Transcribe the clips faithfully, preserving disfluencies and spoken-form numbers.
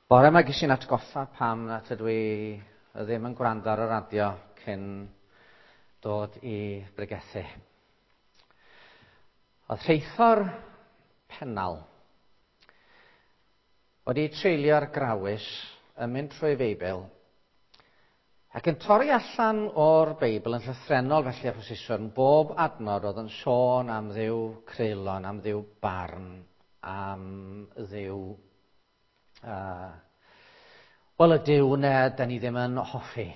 Bore yma ges i'n atgoffa pam nad ydw i ddim yn gwrando ar y radio cyn dod i bregethu. Oedd rheithor Pennal wedi treulio'r grawys yn mynd trwy Feibl ac yn torri allan o'r Beibl yn llythrennol felly a phosiswn bob adnod oedd yn sôn am Dduw creulon, am Dduw barn, am Dduw Uh, wel, y Duw 'na da ni ddim yn hoffi.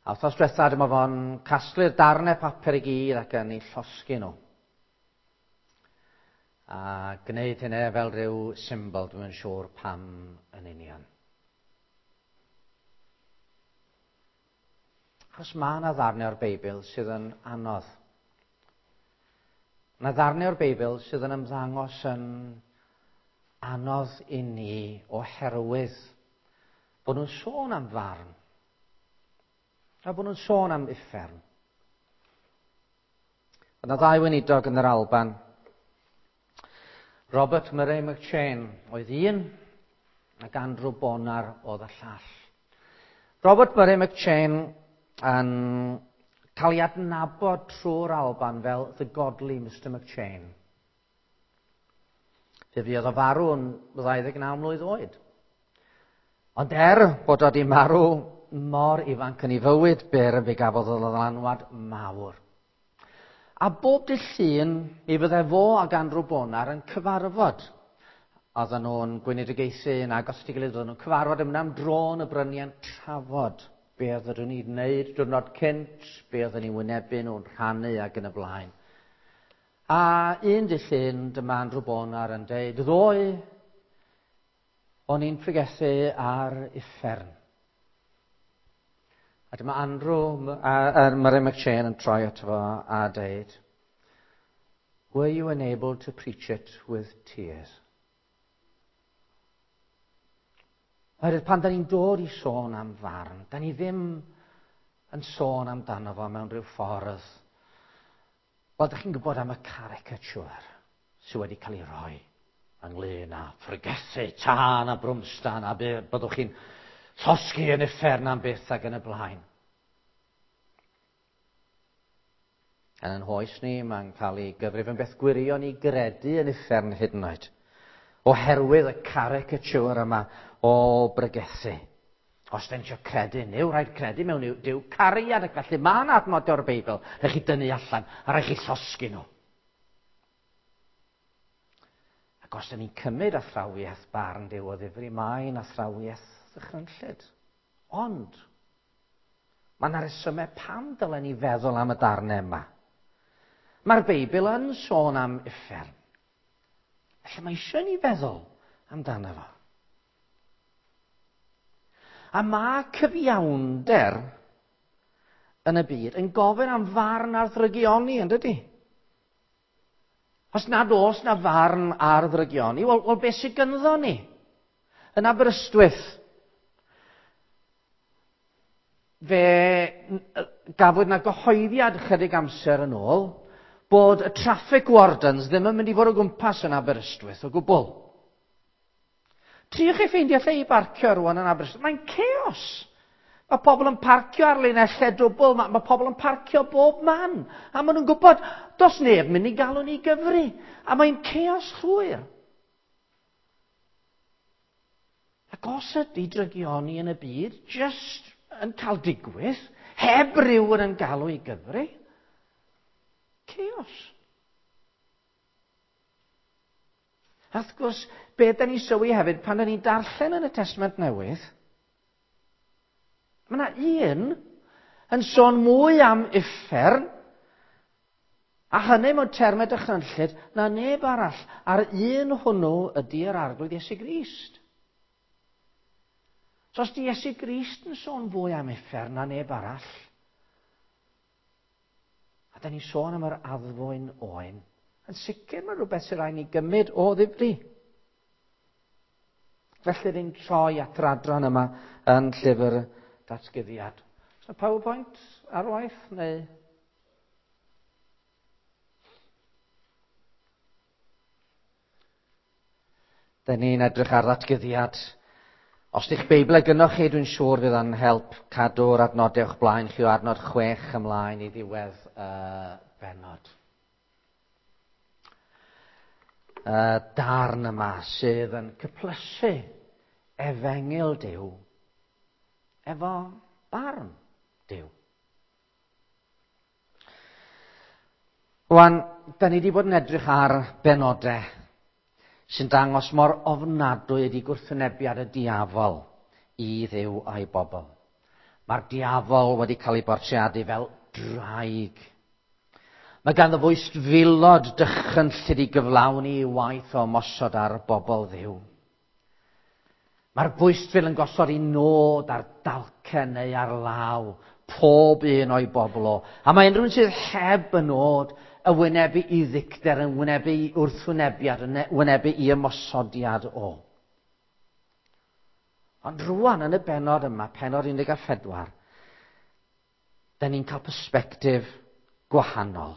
A wythnos diwetha dyma fo'n casglu'r darnau papur i gyd ac yn ei llosgi nhw. A gwneud hynny fel rhyw symbol, dwi'n siŵr pam yn union. Achos mae yna ddarnau o'r Beibl sydd yn anodd. Mae yna ddarnau o'r Beibl sydd yn ymddangos yn anodd i ni oherwydd bod nhw'n sôn am farn a bod nhw'n sôn am uffern. Oedd yna ddau weinidog yn yr Alban. Robert Murray McCheyne oedd un ac Andrew Bonar oedd y llall. Robert Murray McCheyne yn cael ei adnabod trwy'r Alban fel The Godly Mister McCheyne. Fe fuodd o farw yn ddau ddeg naw mlwydd oed. Ond er bod o wedi marw mor ifanc yn ei fywyd byr, fe gafodd o ddylanwad mawr. A bob dydd Llun, mi fydde fo ac Andrew Bonar yn cyfarfod. Oedden nhw'n gweinidogaethu yn agos at ei gilydd, oedden nhw'n cyfarfod yn mynd am dro yn y bryniau'n trafod be oedden nhw'n ei wneud diwrnod cynt, be oedden nhw'n wynebu nhw'n rhannu ac yn y blaen. A un dydd Llun, dyma Andrew Bonar yn deud, ddoe, o'n i'n pregethu ar uffern. A dyma Andrew a, a Murray McCheyne yn troi ato fo a deud, were you unable to preach it with tears? Oherwydd pan da ni'n dod i sôn am farn, da ni ddim yn sôn amdano fo mewn rhyw ffordd. Wel, da chi'n gwybod am y caricature sydd wedi cael ei roi ynglyn â phregethu tân a brwmstan a byddwch chi'n llosgi yn uffern am byth ac yn y blaen. Yn ein hoes ni, mae'n cael ei gyfrif yn beth gwirion i gredu yn uffern hyd yn oed, oherwydd y caricature yma o bregethu. Os da ni eisiau credu, neu rhaid credu mewn Duw cariad, ac felly mae yna adnod o'r Beibl, rhaid chi dynnu allan, a rhaid chi llosgi nhw. Ac os da ni'n cymryd athrawiaeth barn Duw o ddifri, mae'n athrawiaeth ddychrynllyd. Ond, mae yna resymau pam dylen ni feddwl am y darnau yma. Mae'r Beibl yn sôn am uffern. Felly mae eisiau ni feddwl amdano fo. A mae cyfiawnder yn y byd yn gofyn am farn ar ddrygioni, yn dydy? Os nad oes na farn ar ddrygioni, wel, wel beth sydd gynddo ni? Yn Aberystwyth, fe gafwyd na gyhoeddiad chydig amser yn ôl bod y traffic wardens ddim yn mynd i fod o gwmpas yn Aberystwyth o gwbl. Triwch chi ffeindio lle i barcio rwan yn Aberystwyth. Mae'n chaos. Mae pobl yn parcio ar linellau dwbl, mae, mae pobl yn parcio bob man. A maen nhw'n gwybod, does neb mynd i galw ni gyfri. A mae'n chaos llwyr. Ac os ydy drygioni yn y byd just yn cael digwydd, heb rywun yn galw i gyfri, chaos. A wrth gwrs, be da ni'n sylwi hefyd pan da ni'n darllen yn y Testament Newydd, mae yna un yn sôn mwy am uffern, a hynny mewn termau dychrynllyd, na neb arall, a'r un hwnnw ydy yr Arglwydd Iesu Grist. So os di Iesu Grist yn sôn fwy am uffern na neb arall, a da ni'n sôn am yr addfwyn oen, yn sicr mae rhywbeth sy'n rhaid ni gymryd o ddifri. Felly ni'n troi at yr adran yma yn llyfr Datguddiad. Oes 'na PowerPoint ar waith neu? Da ni'n edrych ar ddatguddiad Os di'ch Beibl gynnoch chi, dwi'n siŵr fydd yn help cadw'r adnodau o'ch blaen chi o adnod chwech ymlaen i ddiwedd y uh, bennod. Y uh, darn yma sydd yn cyplysu efengyl Duw efo barn Duw. Rwan, da ni wedi bod yn edrych ar benodau sy'n dangos mor ofnadwy ydi gwrthwynebiad y diafol i Dduw a'i bobl. Mae'r diafol wedi cael ei bortreadu fel draig. Mae ganddo fwystfilod dychrynllyd i gyflawni ei waith o ymosod ar bobl Dduw. Mae'r bwystfil yn gosod ei nod ar dalcen neu ar law pob un o'i bobl o. A mae unrhyw un sydd heb y nod y wynebu i ddicter, yn wynebu i wrthwynebiad, yn wynebu i ymosodiad o. Ond rwan yn y bennod yma, pennod un deg pedwar, da ni'n cael persbectif gwahanol.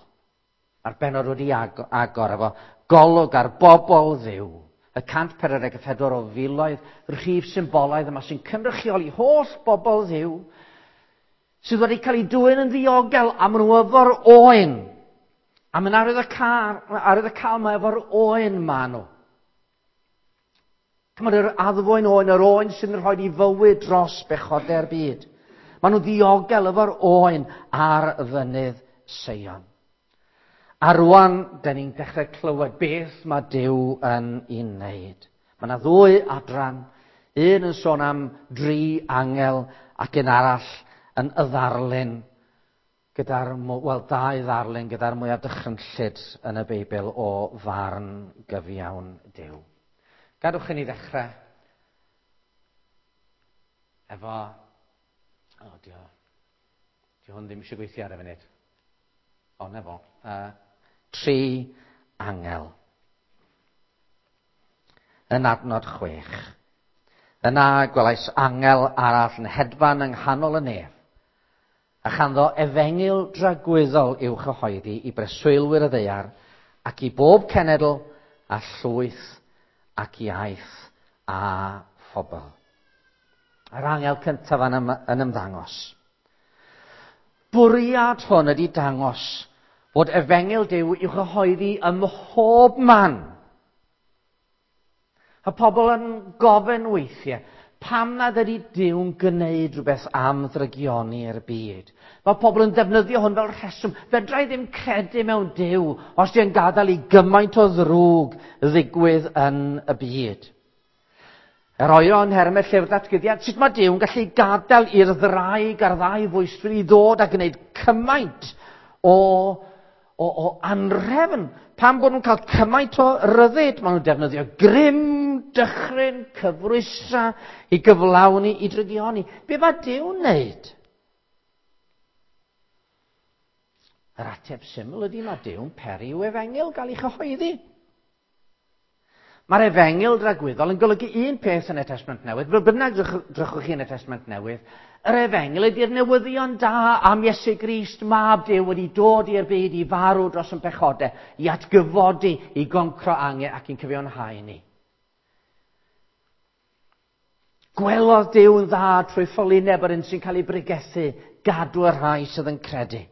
Mae'r bennod wedi agor efo golwg ar bobl Dduw, y cant pedwar deg pedwar o filoedd, rhif symbolaidd yma sy'n cynrychioli holl bobl Dduw, sydd wedi cael eu dwyn yn ddiogel am nhw efo'r oen. A mae'n arwydd y car, arwydd y cael mae efo'r oen ma nhw. Chymod, yr addfwyn oen, yr oen sy'n rhoi i fywyd dros bechodau'r byd. Maen nhw ddiogel efo'r oen ar fynydd Seion. A rwan, da ni'n dechrau clywed beth mae Duw yn ei wneud. Mae yna ddwy adran, un yn sôn am dri angel ac un arall yn y ddarlun gyda'r, wel, dau ddarlun gyda'r mwyaf dychrynllyd yn y Beibl o farn gyfiawn Duw. Gadwch i ni ddechrau efo... O, dio, dio hwn ddim eisiau gweithio ar y funud. O, na fo. Uh, tri angel. Yn adnod chwech. Yna gwelais angel arall yn hedfan yng nghanol y nef, a chanddo efengyl dragwyddol i'w chyhoeddi i breswylwyr y ddaear ac i bob cenedl a llwyth ac iaith a phobl. Yr angel cyntaf yn, ym, yn ymddangos. Bwriad hwn ydy dangos bod efengyl Duw i'w chyhoeddi ym mhob man. A pobl yn gofyn weithiau, pam nad ydy Duw'n gwneud rhywbeth am ddrygioni'r byd? Mae pobl yn defnyddio hwn fel rheswm. Fedra i ddim credu mewn Duw os di'n gadael i gymaint o ddrwg ddigwydd yn y byd. Yr oer o'n nhermau llyfr datguddiad, sut mae Duw'n gallu gadael i'r ddraig a'r ddau fwystfil i ddod a gwneud cymaint o, o, o anrefn? Pam bod nhw'n cael cymaint o ryddid? Maen nhw'n defnyddio grym, dychryn, cyfrwystra i gyflawni, i drygioni. Be mae Duw'n wneud? Yr ateb syml ydy mae Duw'n peri i'w efengyl gael ei chyhoeddi. Mae'r efengyl dragwyddol yn golygu un peth yn y Testament Newydd. Fel bynnag drychwch chi yn y Testament Newydd, yr efengyl ydy'r newyddion da am Iesu Grist, mab Duw, wedi dod i'r byd i farw dros yn pechodau, i atgyfodi, i goncro angen ac i'n cyfiawnhau ni. Gwelodd Duw yn dda trwy ffolineb yr un sy'n cael ei bregethu, gadw y rhai sydd yn credu.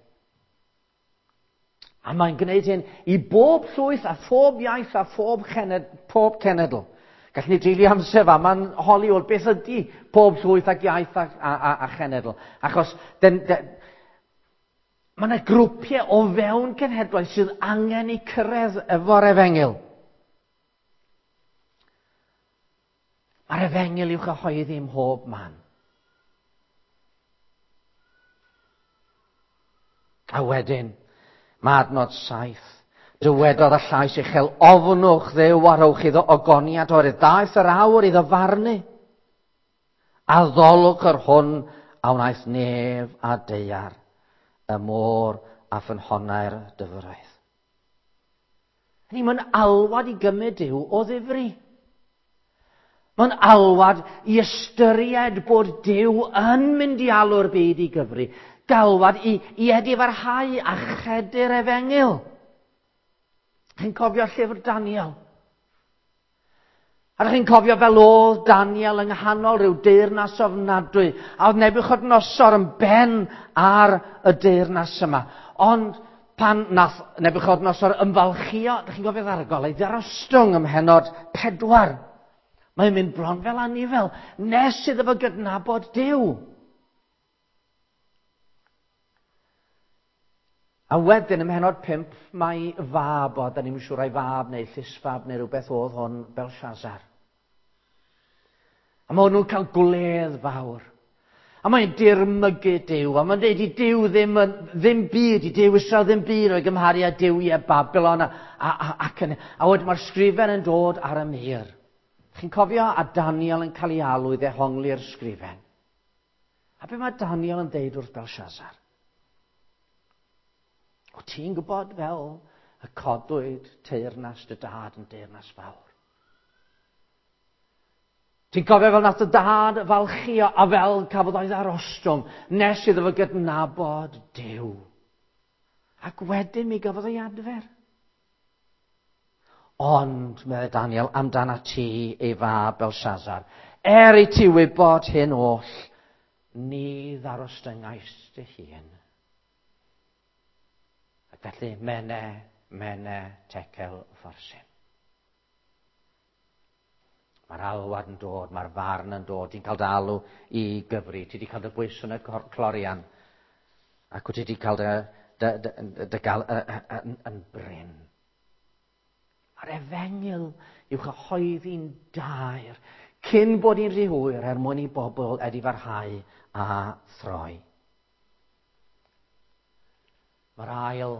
A mae'n gwneud hyn i bob llwyth a phob iaith a phob cenedl. Pob cenedl. Gallwn ni dreulio amser fa, mae'n holi o'r beth ydy pob llwyth ac iaith a, a, a, a chenedl. Achos den, den, mae yna grwpiau o fewn cenhedloedd sydd angen eu cyrraedd efo'r efengyl. Mae'r efengyl i'w chyhoeddi ym mhob man. A wedyn, mae adnod saith. Dywedodd y llais uchel, ofnwch Dduw a rhowch iddo ogoniad oherwydd daeth yr awr iddo farnu. Addolwch yr hwn a wnaeth nef a daear, y môr a ffynhonnau'r dyfroedd. Hynny, mae'n alwad i gymryd Duw o ddifri. Mae'n alwad i ystyried bod Duw yn mynd i alw'r byd i gyfri. Galwad i, i edifarhau a chredu'r efengyl. Chi'n cofio llyfr Daniel? A ydych chi'n cofio fel oedd Daniel yng nghanol rhyw deyrnas ofnadwy, a oedd Nebiwchodynosor yn ben ar y deyrnas yma. Ond pan nath Nebiwchodynosor ymfalchio, ydych chi'n cofio ddargol, ei ddarostwng ym mhennod pedwar. Mae'n mynd bron fel anifel, nes iddo fo gydnabod Duw. A wedyn ym mhennod pump, mae fab o, da ni'n siŵr ai fab neu llysfab neu rhywbeth oedd hwn, Belshazzar. A mae hwnnw'n cael gwledd fawr. A mae'n dirmygu Duw, a mae'n dweud i Duw ddim, ddim byd, i Duw Israel ddim byd o'i gymharu â duwiau Babylon. A, a, a, ac yn, a wedyn mae'r sgrifen yn dod ar y mur. Chi'n cofio a Daniel yn cael ei alw i ddehongli'r sgrifen. A be mae Daniel yn deud wrth Belshazzar? O ti'n gwybod fel y codwyd teyrnas dy dad yn deyrnas fawr? Ti'n cofio fel nath dy dad falchio a fel cafodd o'i ddarostwng nes iddo fo gydnabod Duw. Ac wedyn mi gafodd ei adfer. Ond, meddai Daniel, amdana ti ei fab Belshazzar, er i ti wybod hyn oll, ni ddarostyngais dy hun. Ac felly, mene, mene, tekel, fforsin. Mae'r alwad yn dod, mae'r farn yn dod, ti'n cael dy alw i gyfri, ti wedi cael dy bwyso yn y clorian, ac wyt ti wedi cael dy, dy, dy, dy gael yn, yn brin. Mae'r efengyl i'w chyhoeddi'n daer, cyn bod hi'n rhy hwyr er mwyn i bobl edifarhau a throi. Mae'r ail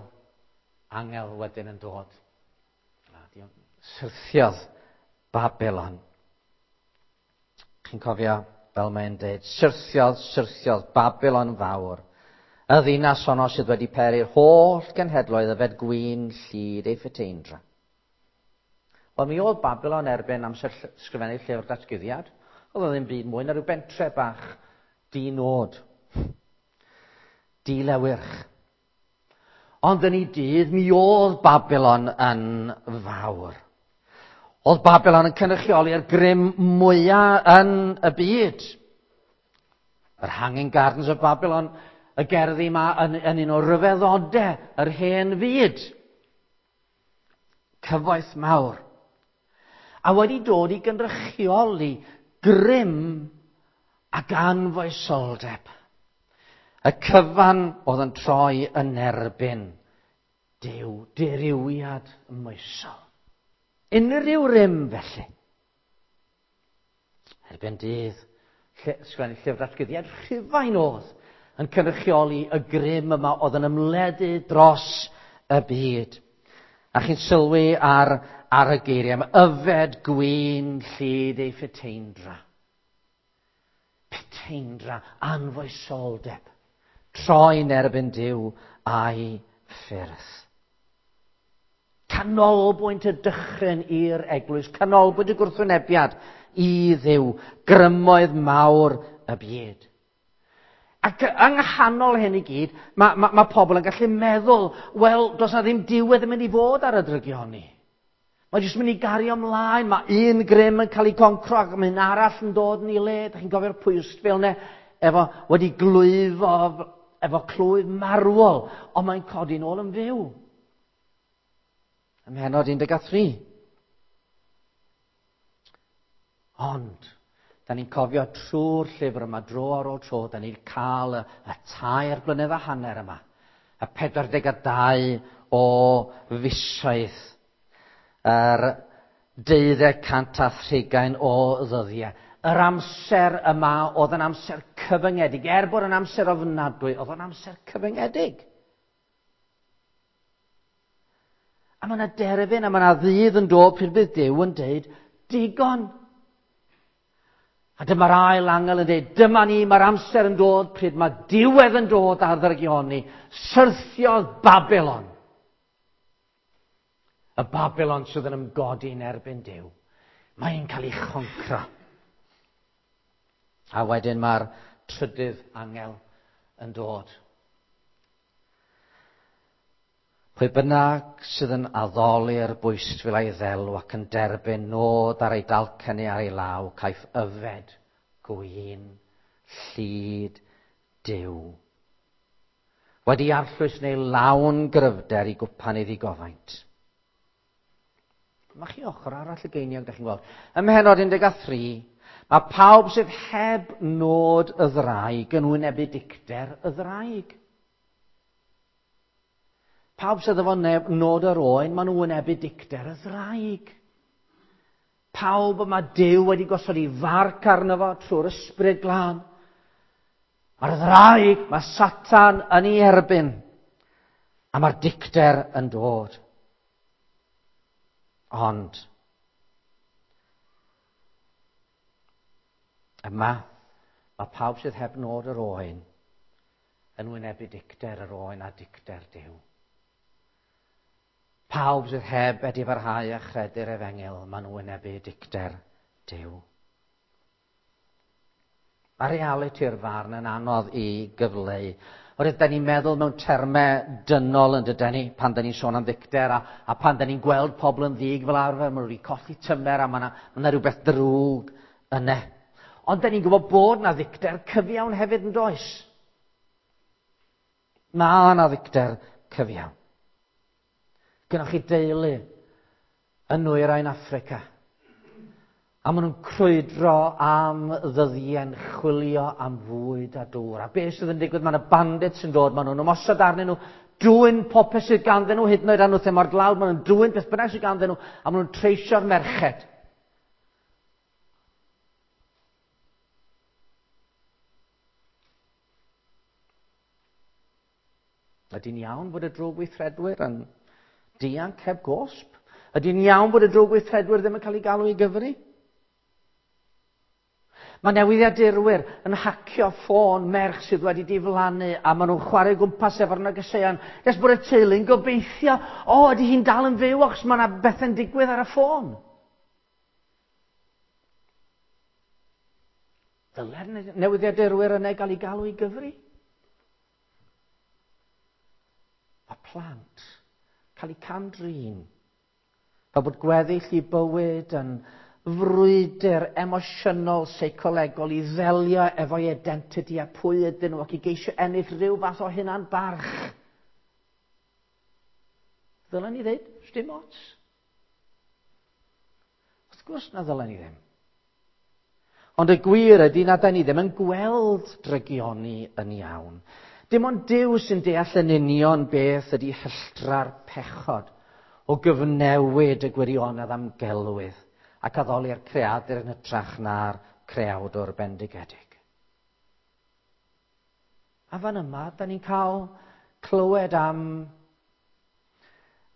angel wedyn yn dod. Syrthiodd Babylon. Chi'n cofio fel mae'n dweud, syrthiodd, syrthiodd Babylon fawr. Y ddinas honno sydd wedi peri'r holl genhedloedd yfed gwin llid ei phuteindra. Wel, mi oedd Babylon erbyn amser sgrifennu llyfr datguddiad. Oedd o ddim byd mwy na rhyw bentre bach di-nod, dilewyrch. Ond yn ei dydd, mi oedd Babylon yn fawr. Oedd Babylon yn cynrychioli'r grym mwyaf yn y byd. Yr Hanging Gardens of Babylon, y gerddi yma yn, yn un o ryfeddodau yr hen fyd. Cyfoeth mawr. A wedi dod i gynrychioli grym ac anfoesoldeb. Y cyfan oedd yn troi yn erbyn Duw, dirywiad moesol. Unrhyw rym felly. Erbyn dydd, sgwennu llyfr datguddiad Rhufain oedd yn cynrychioli y grym yma oedd yn ymledu dros y byd. A chi'n sylwi ar, ar y geiriau yma, yfed gwin llid ei phuteindra. Puteindra, anfoesoldeb. Troi'n erbyn Duw a'i ffyrdd. Canolbwynt y dychryn i'r eglwys, canolbwynt y gwrthwynebiad i Dduw, grymoedd mawr y byd. Ac yng nghanol hyn i gyd, mae, mae, mae pobl yn gallu meddwl, wel, does na ddim diwedd yn mynd i fod ar y drygioni. Mae jyst mynd i gario ymlaen, mae un grym yn cael ei concro ac mae un arall yn dod yn ei le. Dach chi'n cofio'r pwystfil yna, efo wedi glwyfo, efo clwyf marwol, ond mae'n codi nôl yn fyw. Ym mhennod un deg tri. Ond, da ni'n cofio trwy'r llyfr yma, dro ar ôl tro, da ni'n cael y, y tair blynedd a hanner yma, y pedwar deg a dau o fisoedd, yr deuddeg cant a thrigain o ddyddiau. Yr amser yma oedd yn amser cyfyngedig. Er bod yn amser ofnadwy, oedd yn amser cyfyngedig. A mae yna derfyn, a mae yna ddydd yn dod pryd bydd Duw yn deud, digon. A dyma'r ail angel yn dweud, dyma ni, mae'r amser yn dod pryd mae diwedd yn dod ar ddrygioni. Syrthiodd Babylon. Y Babylon sydd yn ymgodi yn erbyn Duw. Mae'n cael ei choncro. A wedyn mae'r trydydd angel yn dod. Pwy bynnag sydd yn addoli'r bwystfil a'i ddelw ac yn derbyn nod ar ei dalcen neu ar ei law, caiff yfed gwin llid Duw. Wedi arllwys neu lawn gryfder i gwpan ei ddigofaint. Mae chi ochr arall y geiniog, da chi'n gweld. Ym mhennod un deg tri, mae pawb sydd heb nod y ddraig yn wynebu dicter y ddraig. Pawb sydd efo nod yr oen, maen nhw'n wynebu dicter y ddraig. Pawb y mae Duw wedi gosod ei farc arno fo trwy'r ysbryd glân. Mae'r ddraig, mae Satan yn ei erbyn, a mae'r dicter yn dod. Ond, yma, mae pawb sydd heb nod yr oen yn wynebu dicter yr oen a dicter Duw. Pawb sydd heb edifarhau a chredu'r efengyl, maen nhw'n wynebu dicter Duw. Mae realiti'r farn yn anodd i gyfleu. Oherwydd da ni'n meddwl mewn termau dynol yn dydyn ni, pan da ni'n sôn am ddicter, a, a pan da ni'n gweld pobl yn ddig fel arfer, maen nhw wedi colli tymer a mae yna ma rhywbeth drwg yna. Ond da ni'n gwybod bod na ddicter cyfiawn hefyd yn does? Mae yna ddicter cyfiawn. Gynnwch chi deulu yn nwyrain Affrica. A maen nhw'n crwydro am ddyddiau'n chwilio am fwyd a dŵr. A beth sydd yn digwydd, mae yna bandits yn dod, maen nhw'n ymosod arnyn nhw, dwyn popeth sydd ganddyn nhw, hyd yn oed anwth mor dlawd, maen nhw'n dwyn beth bynnag sydd ganddyn nhw, a maen nhw'n treisio'r merched. Ydy'n iawn bod y drwgweithredwyr yn dianc heb gosb? Ydy'n iawn bod y drwgweithredwyr ddim yn cael ei galw i gyfri? Mae newyddiadurwyr yn hacio ffôn merch sydd wedi diflannu a maen nhw'n chwarae gwmpas efo'r negeseuon nes bod y teulu'n gobeithio, o, ydy hi'n dal yn fyw achos mae yna bethau'n digwydd ar y ffôn. Dylai'r newyddiadurwyr yna gael ei galw i gyfri? Mae plant cael eu cam-drin fel bod gweddill i bywyd yn frwydr emosiynol, seicolegol i ddelio efo'i identity a pwy ydyn nhw ac i geisio ennill rhyw fath o hunan barch. Ddylen ni ddeud, sdim ots. Wrth gwrs na ddylen ni ddim. Ond y gwir ydy na da ni ddim yn gweld drygioni yn iawn. Dim ond Duw sy'n deall yn union beth ydy hylltra'r pechod o gyfnewid y gwirionedd am gelwydd ac addoli'r creadur yn hytrach na'r creawdwr bendigedig. A fan yma, da ni'n cael clywed am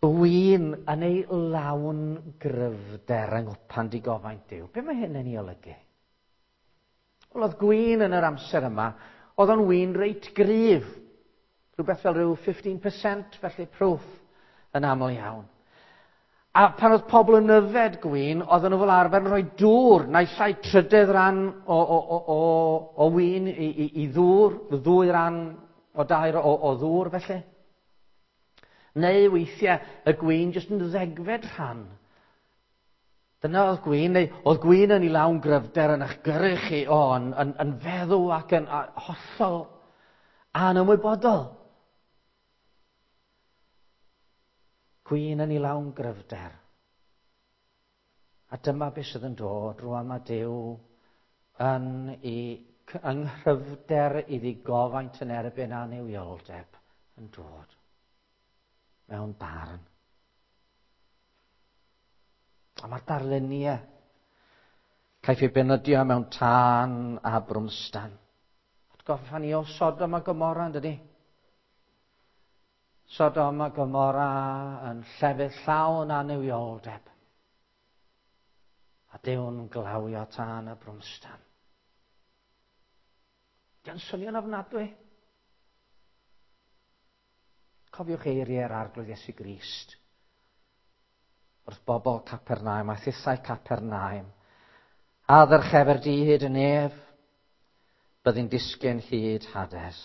win yn ei lawn gryfder yng nghwpan digofaint Duw. Be mae hyn yn ei olygu? Wel, oedd gwin yn yr amser yma, oedd o'n win reit gryf. Rhywbeth fel rhyw fifteen percent, felly proof yn aml iawn. A pan oedd pobl yn yfed gwin, oedden nhw fel arfer yn rhoi dŵr, naill ai trydydd ran o, o, o, o, o win i, i, i ddŵr, ddwy ran o dair o, o ddŵr felly. Neu weithiau y gwin jyst yn ddegfed rhan. Dyna oedd gwin, neu oedd gwin yn ei lawn gryfder yn eich gyrru chi, o, yn, yn, yn feddw ac yn a, hollol anymwybodol. Gwin yn ei lawn gryfder. A dyma beth sydd yn dod rwan mae Duw yn ei yng nghryfder iddi gofaint yn erbyn annuwioldeb yn dod mewn barn. A mae'r darluniau caiff ei benydio mewn tân a brwmstan. Atgoffa ni o Sodom a Gomorra, yn dydi? Sodom a Gomorra yn llefydd llawn annuwioldeb. A Duw'n glawio tân a brwmstan. Di'n swnio'n ofnadwy. Cofiwch eiriau'r Arglwydd Iesu Grist wrth bobl Capernaum a thithau Capernaum. A ddyrchefer di hyd y nef, byddi'n disgyn hyd Hades.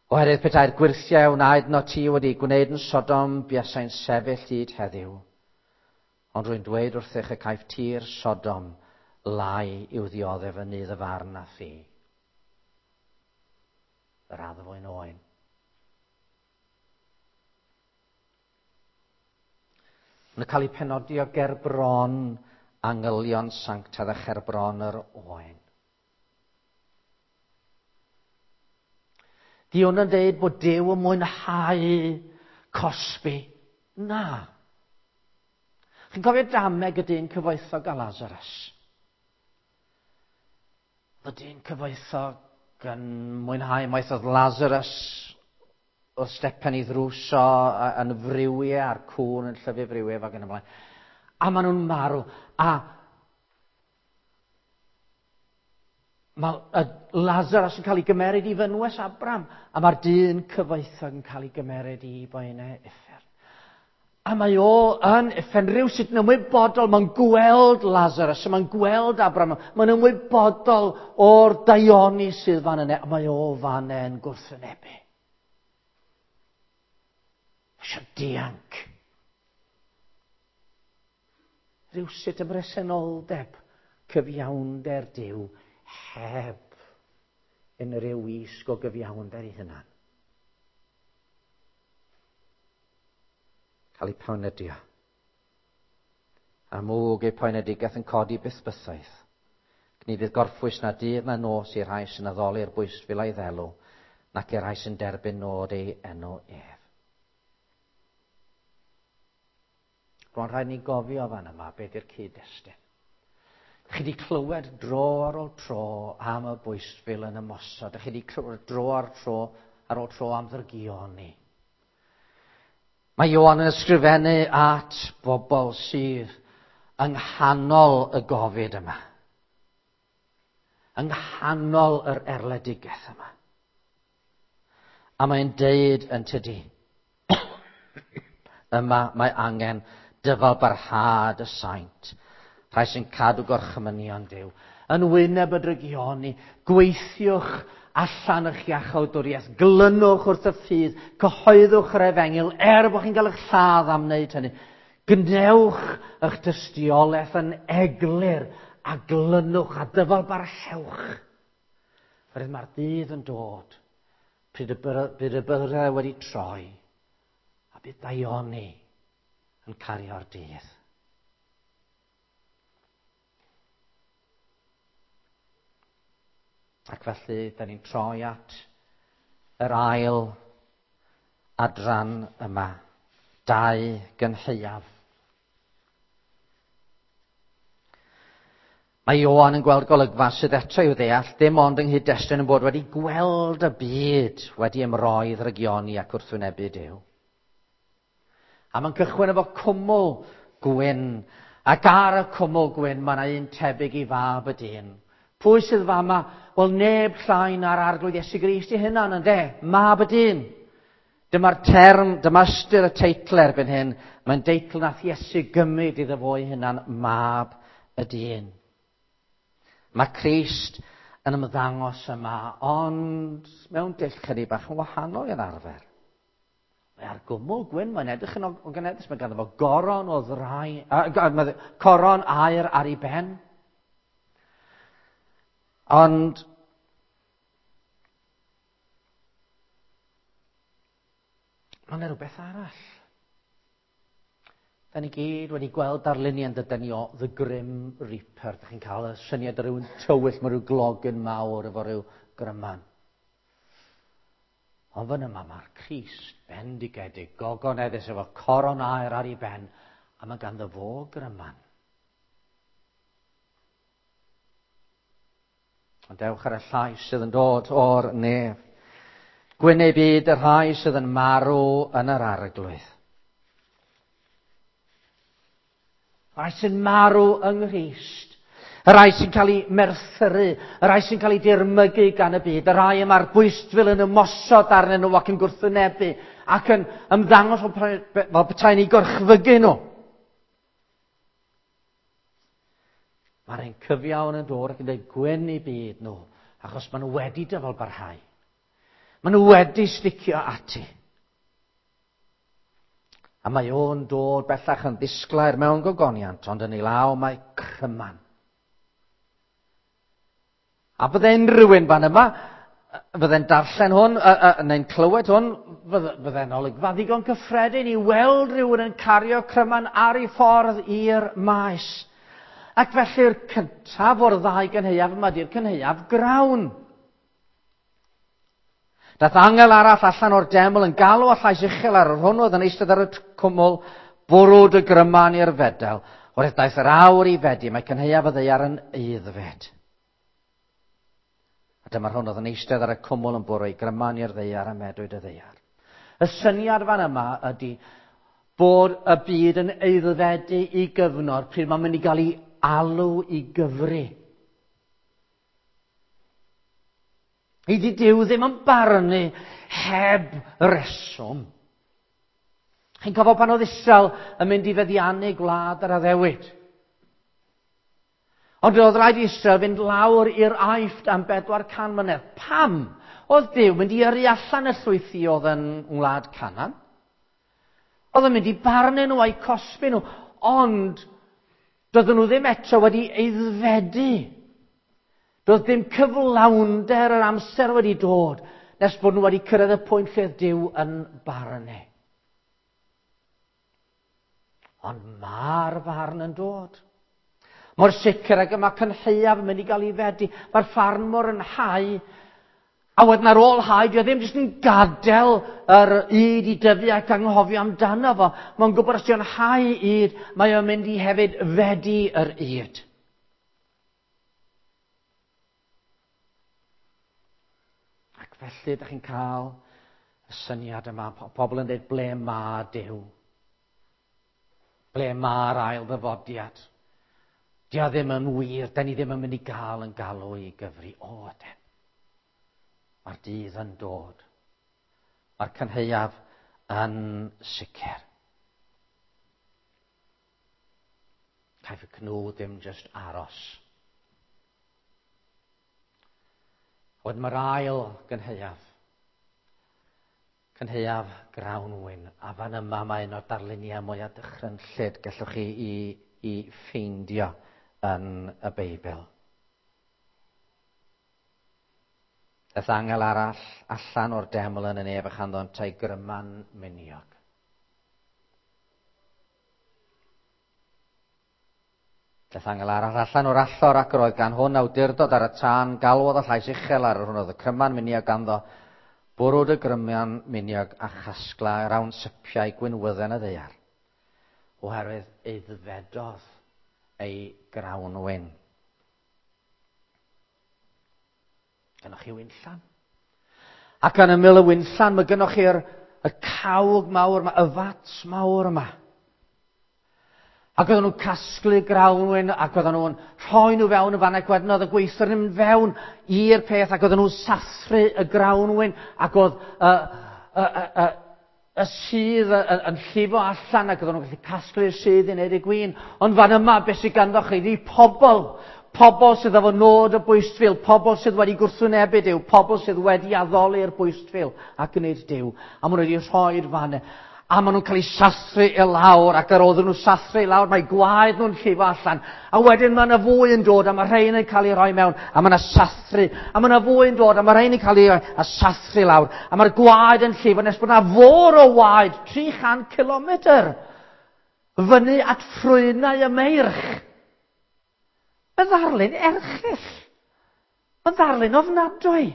Oherwydd petai'r gwyrthiau wnaed no ti wedi gwneud yn Sodom, buasai'n sefyll hyd heddiw. Ond rwy'n dweud wrthych y caiff tir Sodom lai i'w ddioddef yn nydd y farn a thi. Yr addfwyn oen. Mae'n cael ei penodi o gerbron angylion sanctaidd a cherbron yr oen. Di hwn yn dweud bod Duw yn mwynhau cosbi. Na. Chi'n cofio dameg y dyn cyfoethog a Lazarus? Y dyn cyfoethog yn mwynhau maeth oedd Lazarus oedd stepen i ddrws o yn friwiau a'r cŵn yn llyfu friwiau ac yn ymlaen. A maen nhw'n marw. A mae Lazarus yn cael ei gymeryd i fynwes Abram, a mae'r dyn cyfoethog yn cael ei gymeryd i boenau uffern. A mae o yn uffern rhywsut yn ymwybodol, mae'n gweld Lazarus, mae'n gweld Abram, mae'n ymwybodol o'r daioni sydd fan yna, a mae o fan yn gwrthwynebu. Eisiau dianc. Rhywsut y bresenoldeb, cyfiawnder Duw, heb unrhyw wisg o gyfiawnder ei hunan. Cael ei poenydio. A mwg ei poenedigaeth yn codi byth bythoedd. Ni fydd gorffwys na dydd na nos i'r rhai sy'n addoli'r bwystfil a'i ddelw, nac i'r rhai sy'n derbyn nod ei enw ef. Rwy'n rhaid ni gofio fan yma beth yw'r cyd-destun. Chi wedi clywed dro ar ôl tro am y bwystfil yn ymosod. Chi wedi clywed dro ar tro ar ôl tro am ddrygioni. Mae Ioan yn ysgrifennu at bobl sydd yng nghanol y gofid yma. Yng nghanol yr erledigaeth yma. A mae'n deud yn tydi, yma mae angen dyfal barhad y saint, rhai sy'n cadw gorchymynion Duw. Yn wyneb y drygioni, gweithiwch allan eich iachawdwriaeth, glynwch wrth y ffydd, cyhoeddwch yr efengyl, er bod chi'n cael eich lladd am wneud hynny. Gwnewch eich tystiolaeth yn eglur a glynwch a dyfal barhewch. Oherwydd mae'r dydd yn dod, pryd y bydd y byrddau wedi troi, a bydd daioni yn cario'r dydd. Ac felly, da ni'n troi at yr ail adran yma, dau gynhaeaf. Mae Ioan yn gweld golygfa sydd eto i'w ddeall, dim ond yng nghyd-destun yn bod wedi gweld y byd wedi ymroi ddrygioni ac wrthwynebu Duw. A mae'n cychwyn efo cwmwl gwyn, ac ar y cwmwl gwyn mae yna un tebyg i fab y dyn. Pwy sydd fama? Wel, neb llai na'r Arglwydd Iesu Grist ei hunan, ynde? Mab y dyn. Dyma'r term, dyma ystyr y teitl erbyn hyn. Mae'n deitl nath Iesu gymryd iddo fo ei hunan, Mab y dyn. Mae Crist yn ymddangos yma, ond mewn dull chydig bach yn wahanol i'r arfer. Mae ar gwmwl gwyn, mae'n edrych yn ogoneddus, mae ganddo fo goron o ddrau, uh, coron aur ar ei ben. Ond mae yna rhywbeth arall. Da ni gyd wedi gweld darluniau yn dydyn ni o The Grim Reaper. Da chi'n cael y syniad o rywun tywyll, mae rhyw glogyn mawr efo rhyw gryman. Ond fan yma mae'r Crist bendigedig, gogoneddus efo coron aur ar ei ben, a mae ganddo fo gryman. Ond dewch ar y llais sydd yn dod o'r nef. Gwyn eu byd y rhai sydd yn marw yn yr Arglwydd. Y rhai sy'n marw yng Nghrist. Y rhai sy'n cael eu merthyru, y rhai sy'n cael eu dirmygu gan y byd, y rhai y mae'r bwystfil yn ymosod arnyn nhw ac yn gwrthwynebu ac yn ymddangos fel petai'n eu gorchfygu nhw. Mae'r ein cyfiawn yn dod ac yn dweud gwyn i byd nhw, achos maen nhw wedi dyfal barhau. Maen nhw wedi sticio ati. A mae o'n dod bellach yn ddisglair mewn gogoniant, ond yn ei law mae cryman. A bydde unrhyw un fan yma, fydde'n darllen hwn, neu'n clywed hwn, fydde'n olygfa ddigon cyffredin i weld rhywun yn cario cryman ar ei ffordd i'r maes. Ac felly'r cyntaf o'r ddau gynhaeaf yma di'r cynhaeaf grawn. Dath angel arall allan o'r deml yn galw â llais uchel ar yr hwn oedd yn eistedd ar y cwmwl, bwrw dy gryman i'r fedel. Oherwydd daeth yr awr i fedi, mae cynhaeaf y ddaear yn aeddfed. A dyma'r hwn oedd yn eistedd ar y cwmwl yn bwrw ei gryman i'r ddaear a medwyd y ddaear. Y syniad fan yma ydy bod y byd yn aeddfedu i gyfnod pryd mae'n mynd i gael ei alw i gyfri. Ydy Duw ddim yn barnu heb reswm. Chi'n cofio pan oedd Israel yn mynd i feddiannu gwlad yr addewid. Ond oedd rhaid i Israel fynd lawr i'r Aifft am bedwar can mlynedd. Pam? Oedd Duw mynd i yrru allan y llwythi oedd yn wlad Canaan. Oedd yn mynd i barnu nhw a'i cosbi nhw, ond doedden nhw ddim eto wedi aeddfedu. Doedd dim cyflawnder yr amser wedi dod nes bod nhw wedi cyrraedd y pwynt lle oedd Duw yn barnu. Ond mae'r farn yn dod. Mor sicr ag y mae cynhaeaf yn mynd i gael ei fedi. Mae'r ffarmwr yn hau. A wedyn ar ôl hau, dio ddim jyst yn gadael yr ŷd i dyfu ac anghofio amdano fo. Mae'n gwybod os dio'n hau ŷd, mae o'n mynd i hefyd fedi yr ŷd. Ac felly, ydych chi'n cael y syniad yma, pobl yn dweud, ble mae Duw? Ble mae'r ail ddyfodiad? Dio ddim yn wir, da ni ddim yn mynd i gael yn galw i gyfri. O, ydyn. Mae'r dydd yn dod. Mae'r cynhaeaf yn sicr. Caiff y cnwd ddim jyst aros. Wedyn mae'r ail gynhaeaf. Cynhaeaf grawnwin. A fan yma mae un o'r darluniau mwyaf dychrynllyd gallwch chi i, i ffeindio yn y Beibl. Daeth angel arall allan o'r deml yn y nef a chanddo yntau gryman miniog. Daeth angel arall allan o'r allor ac yr oedd gan hwn awdurdod ar y tân, galwodd y llais uchel ar yr hwn oedd y cryman miniog ganddo, bwrw dy gryman miniog a chasgla rawn sypiau gwinwydden y ddaear, oherwydd aeddfedodd ei grawnwin. Gynnoch chi winllan. Ac yn ymyl y winllan, mae gynnoch chi'r y cawg mawr yma, y fats mawr yma. Ac oedden nhw'n casglu grawnwin, ac oedden nhw'n rhoi nhw fewn y fan, ac wedyn oedd y gweithwyr yn mynd fewn i'r peth, ac oedden nhw'n sathru y grawnwin, ac oedd y, y, y, y, y sudd yn, yn llifo allan, ac oedden nhw'n gallu casglu'r sudd i wneud y gwin. Ond fan yma, beth sydd ganddo chi, di pobl, pobl sydd efo nod y bwystfil, pobl sydd wedi gwrthwynebu Duw, pobl sydd wedi addoli'r bwystfil a gwneud Duw. A maen nhw wedi rhoi'r fan. A maen nhw'n cael eu sathru i lawr, ac ar ôl nhw sathru i lawr, mae gwaed nhw'n llifo allan. A wedyn mae yna fwy yn dod, a mae rhain yn cael ei rhoi mewn, a mae yna sathru. A mae yna fwy yn dod, a mae rhain yn cael ei rhoi, a sathru lawr. A mae'r gwaed yn llifo, nes bod yna fôr o waed, tri chant kilometr, fyny at ffrwynau y meirch. Mae'n ddarlun erchyll. Mae'n ddarlun ofnadwy.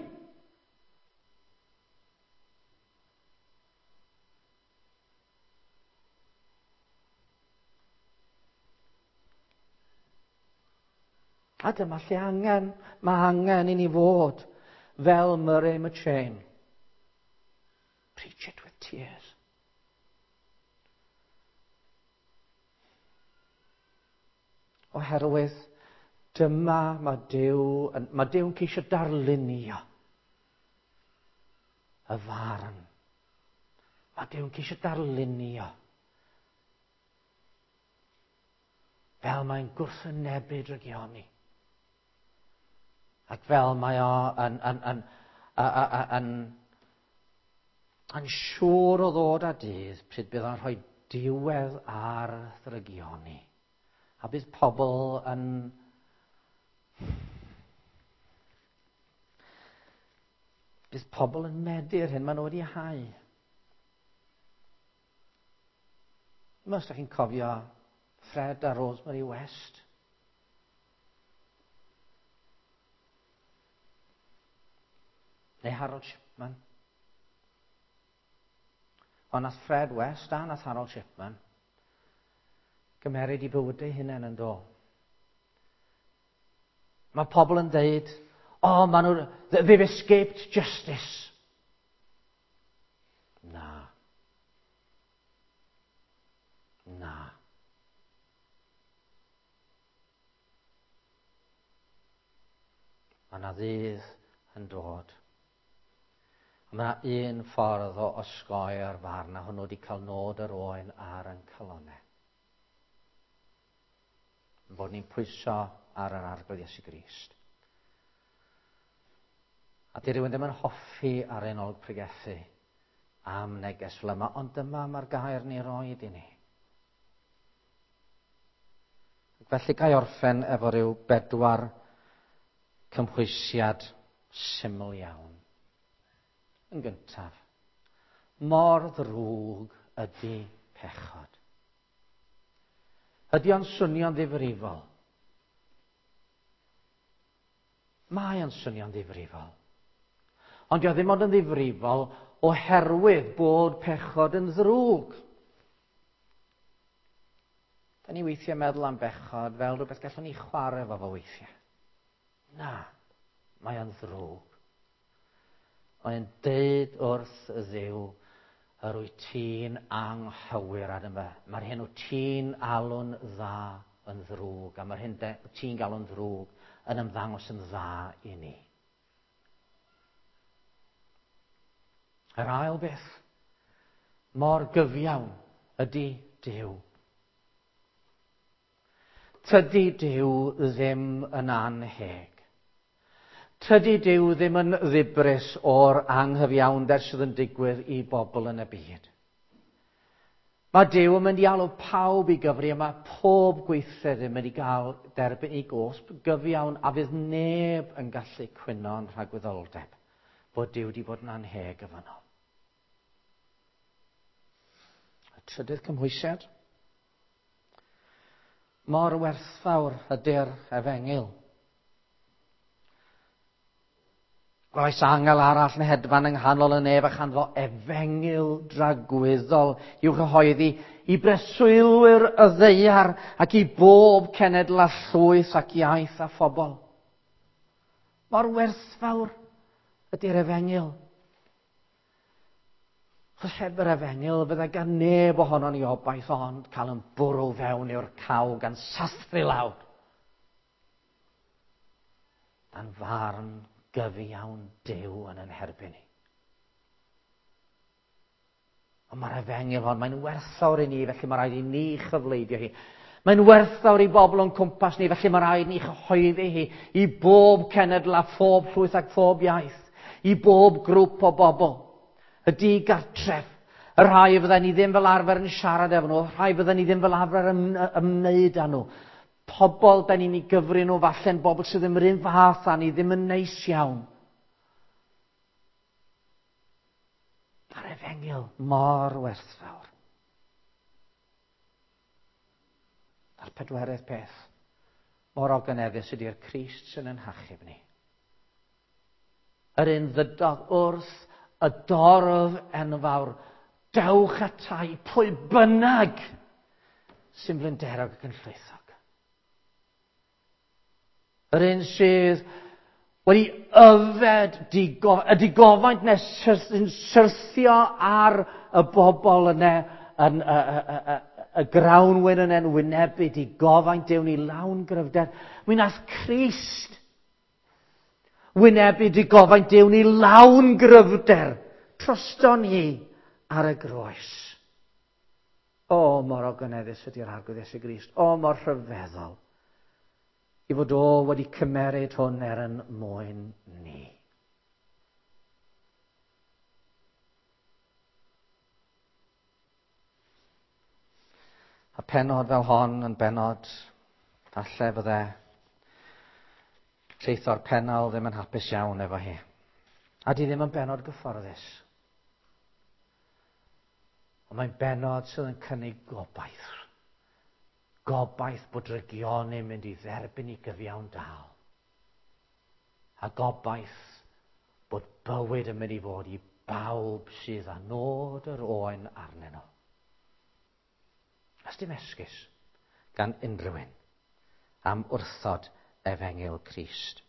A dyma lle angen, mae angen i ni fod fel Murray McCheyne. Preach it with tears. Oherwydd dyma mae Duw, mae Duw'n ceisio darlunio y farn. Mae Duw'n ceisio darlunio fel mae'n gwrthwynebu drygioni. Ac fel mae o yn, yn, yn, yn, yn, A'n siŵr o ddod â dydd pryd bydd o'n rhoi diwedd ar ddrygioni. A bydd pobl yn... Bydd pobl yn medi'r hyn maen nhw wedi hau. Os ydych chi'n cofio Fred a Rosemary West. Neu Harold Shipman. Ond nath Fred West a nath Harold Shipman gymeryd i bywydau hunain yn do. Mae pobl yn deud, oh, maen nhw, they've escaped justice. Na. Na. Mae yna ddydd yn dod. A mae yna un ffordd o osgoi'r farn, a hwnnw wedi cael nod yr oen ar ein calonnau. Bod ni'n pwyso ar yr Arglwydd Iesu Grist. A di rhywun ddim yn hoffi ar ein olwg pregethu am neges fel yma, ond dyma mae'r gair ni roed i ni. Ac felly ga i orffen efo rhyw bedwar cymhwysiad syml iawn. Yn gyntaf, mor ddrwg ydy pechod. Ydy o'n swnio'n ddifrifol? Mae o'n swnio'n ddifrifol. Ond dio ddim ond yn ddifrifol oherwydd bod pechod yn ddrwg. Da ni weithiau meddwl am bechod fel rhywbeth gallwn ni chwarae efo fo weithiau. Na, mae o'n ddrwg. Mae'n deud wrth y Dduw, yr wyt ti'n anghywir ar yma. Mae'r hyn wyt ti'n alw'n dda yn ddrwg, a mae'r hyn wyt ti'n galw'n ddrwg yn ymddangos yn dda i ni. Yr ail beth, mor gyfiawn ydy Duw. Tydi Duw ddim yn anheg. Tydi Duw ddim yn ddibris o'r anghyfiawnder sydd yn digwydd i bobl yn y byd. Mae Duw yn mynd i alw pawb i gyfri, a mae pob gweithred yn mynd i gael derbyn ei gosb gyfiawn, a fydd neb yn gallu cwyno yn rhagwyddoldeb bod Duw wedi bod yn anheg efo nhw. Y trydydd cymhwysiad. Mor werthfawr ydy'r efengyl. Gwelais angel arall yn hedfan yng nghanol y nef a chanddo efengyl dragwyddol i'w chyhoeddi i breswylwyr y ddaear ac i bob cenedl a llwyth ac iaith a phobl. Mor werthfawr ydy'r efengyl. Achos heb yr efengyl fydda gan neb ohonon ni obaith ond cael yn bwrw fewn i'r caw gan sathru lawr. Dan farn gyfiawn Duw yn yn herbyn ni. Ond mae'r efengyl hon, mae'n werthfawr i ni, felly mae rhaid i ni chyfleidio hi. Mae'n werthfawr i bobl o'n cwmpas ni, felly mae rhaid ni chyhoeddi hi i bob cenedl a phob llwyth ac phob iaith, i bob grŵp o bobl. Y digartref, y rhai fydden ni ddim fel arfer yn siarad efo nhw, y rhai fydden ni ddim fel arfer yn ymwneud â nhw. Pobl da ni'n ei gyfri nhw falle'n bobl sydd ddim yr un fath â ni, ddim yn neis iawn. Mae'r efengyl mor werthfawr. A'r pedwerydd peth, mor ogoneddus ydy'r Crist sy'n yn hachub ni. Yr un ddydodd wrth y dorf enfawr, dewch atai pwy bynnag sy'n blinderog ac yn llwythog. Yr un sydd wedi yfed digo, y digofaint nes sy'n syrthio ar y bobl yna, yn, y, y, y, y grawnwyn yna yn wynebu digofaint Duw ni lawn gryfder. Mi nath Crist wynebu digofaint Duw ni lawn gryfder drosto ni ar y groes. O, mor ogoneddus ydy'r Arglwydd Iesu Grist. O, mor rhyfeddol i fod o wedi cymeryd hwn er yn mwyn ni. A penod fel hon yn benod, falle fydde rheithor Pennal ddim yn hapus iawn efo hi. A di ddim yn benod gyfforddus. Ond mae'n benod sydd yn cynnig gobaith. Gobaith bod drygioni'n mynd i dderbyn i gyfiawn dal. A gobaith bod bywyd yn mynd i fod i bawb sydd â nod yr Oen arnyn nhw. A dim esgus gan unrhyw un am wrthod efengyl Crist.